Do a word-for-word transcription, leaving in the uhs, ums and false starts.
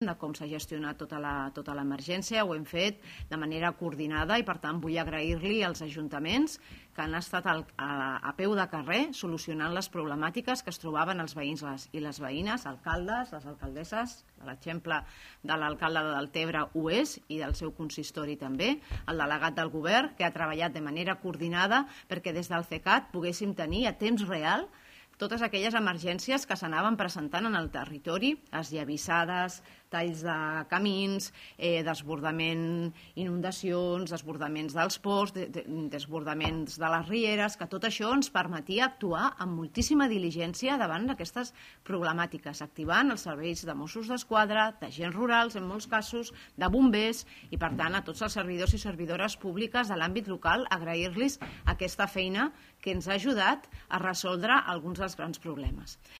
de com s'ha gestionat tota l'emergència, ho hem fet de manera coordinada i per tant vull agrair-li als ajuntaments que han estat a peu de carrer solucionant les problemàtiques que es trobaven els veïns i les veïnes, alcaldes, les alcaldesses, l'exemple de l'alcalde de Deltebre ho és i del seu consistori també, el delegat del govern que ha treballat de manera coordinada perquè des del CECAT poguéssim tenir a temps real totes aquelles emergències que s'anaven presentant en el territori, esllavissades, talls de camins, desbordament, inundacions, desbordaments dels ports, desbordaments de les rieres, que tot això ens permetia actuar amb moltíssima diligència davant d'aquestes problemàtiques, activant els serveis de Mossos d'Esquadra, d'agents rurals, en molts casos, de bombers, i per tant a tots els servidors i servidores públiques de l'àmbit local agrair-los aquesta feina que ens ha ajudat a resoldre alguns dels grans problemes.